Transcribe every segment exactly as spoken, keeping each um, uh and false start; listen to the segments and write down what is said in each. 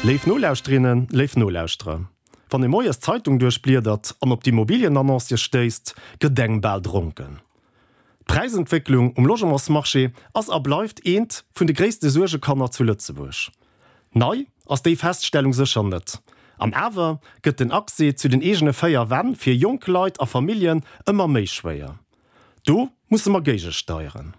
Léif Nolauschterinnen, léif Nolauschterer, wann ee moies d'Zeitung duerchbliedert an op d'Immobilienannoncë stéisst, gëtt engem bal dronken. D'Präisentwécklung um Logementsmarché ass a bleift eent vun de gréisste Suergekanner zu Lëtzebuerg. Nei ass déi Feststellung sécher net. An awer gëtt den Accès zu den eegene véier Wänn fir jonk Leit a Familljen ëmmer méi schwéier. Do musse mer géigesteieren.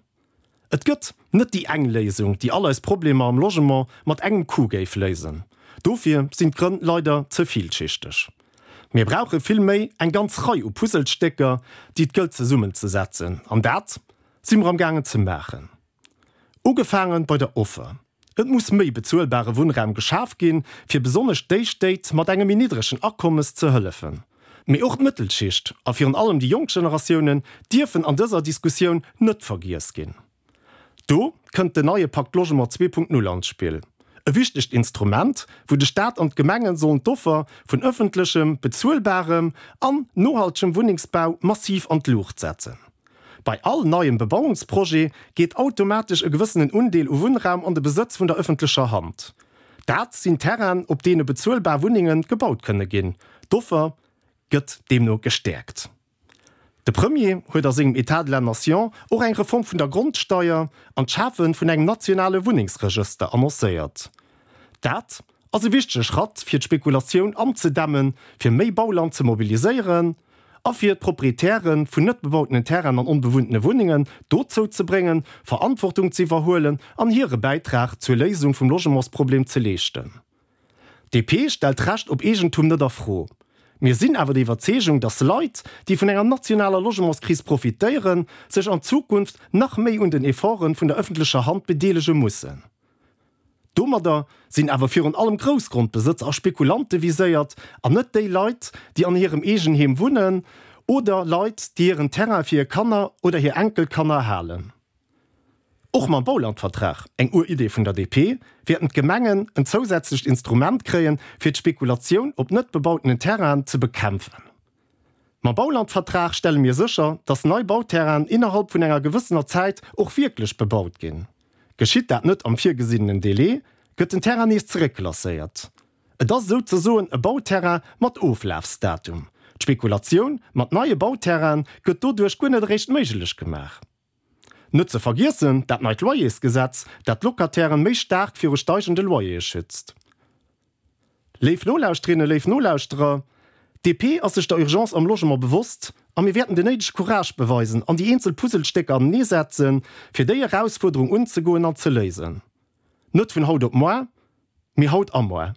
Et gëtt net déi eng Léisung, déi all eis Problemer am Logement mat engem Coup géif léisen. Dofir sinn d'Grënn leider ze villschichteg. Mir brauche vill méi eng ganz Rei u Puzzlestécker, déi et gëllt zesummenzesetzen. An dat si mer amgaangen ze maachen. Ugefaange bei der Offer. Et muss méi bezuelbare Wunnraum geschaf ginn, fir besonnesch déi Stéit mat engem méi niddregen Akommes ze hëllefen. Mee och d'Mëttelschicht a virun allem déi jonk Generatiounen dierfen an dëser Diskussioun net vergiess ginn. Do kënnt den neie Pakt Logement zwee Punkt null an d'Spill. E wichtegt Instrument, wou de Staat an d'Gemengen sollen d'Offer vun ëffentlechem, bezuelbarem an nohaltegem Wunnengsbau massiv an d'Luucht setzen. Bei all neiem Bebauungsprojet geet automatesch e gewëssenen Undeel u Wunnraum an de Besëtz vun der ëffentlecher Hand. Dat sinn Terrainen, op deene bezuelbar Wunnenge gebaut kënne ginn. D'Offer gëtt deemno gestäerkt. De Premier huet a sengem État de la Nation och eng Reform vun der Grondsteier an d'Schafe vun engem nationale Wunnengsregëster annoncéiert. Dat ass e wichtege Schratt, fir d'Spekulatioun anzedämmen, fir méi Bauland ze mobiliséieren a fir d'Proprietäre vun net bebautenen Terrainen an onbewunntene Wunnengen dozou ze bréngen, Verantwortung ze iwwerhuelen an hire Bäitrag zur Léisung vum Logementsproblem ze leeschten. D P stellt d'Recht op Eegentum net a Fro. Mir sinn awer der Iwwerzeegung, dass Leit, déi vun enger nationaler Logementskris profitéieren, sech an Zukunft nach méi un den Efforte vun der ëffentlecher Hand bedeelege mussen. Domadder sinn awer virun allem Groussgrondbesëtzer a Spekulante viséiert an net déi Leit, déi an hirem Eegenheem wunnen oder Leit, déi hiren Terrain fir hir Kanner oder hir Enkelkanner halen. Och mam Baulandvertrag, eng Ur-Idee vun der D P, wäerten d'Gemengen en zousätzlecht Instrument kréien, fir d'Spekulatioun op net bebautenen Terrainen ze bekämpfen. Mam Baulandvertrag stelle mir sécher, dass nei Bauterrainen innerhalb vun enger gewëssener Zäit och wierklech bebaut ginn. Geschitt dat net am virgesinnenen Delai, gëtt den Terrain nees zeréckklasséiert. Et ass souzesoen e Bauterrain mat Oflafsdatum. D'Spekulatioun mat neie Bauterraine gëtt doduerch guer net eréischt méiglech gemaach. Net ze vergiessen dat neit Loyersgesetz, dat d'Locatairen méi staark viru steigende Loyere schützt. Léif Nolauschterinnen, léif Nolauschterer, D P ass sech der Urgence am Logement bewosst a mir wäerten den néidege Courage beweisen an déi eenzel Puzzlestécker aneneesetzen, fir déi Erausfuerderung unzegoen an ze léisen. Net vun haut op muer, mee haut a muer.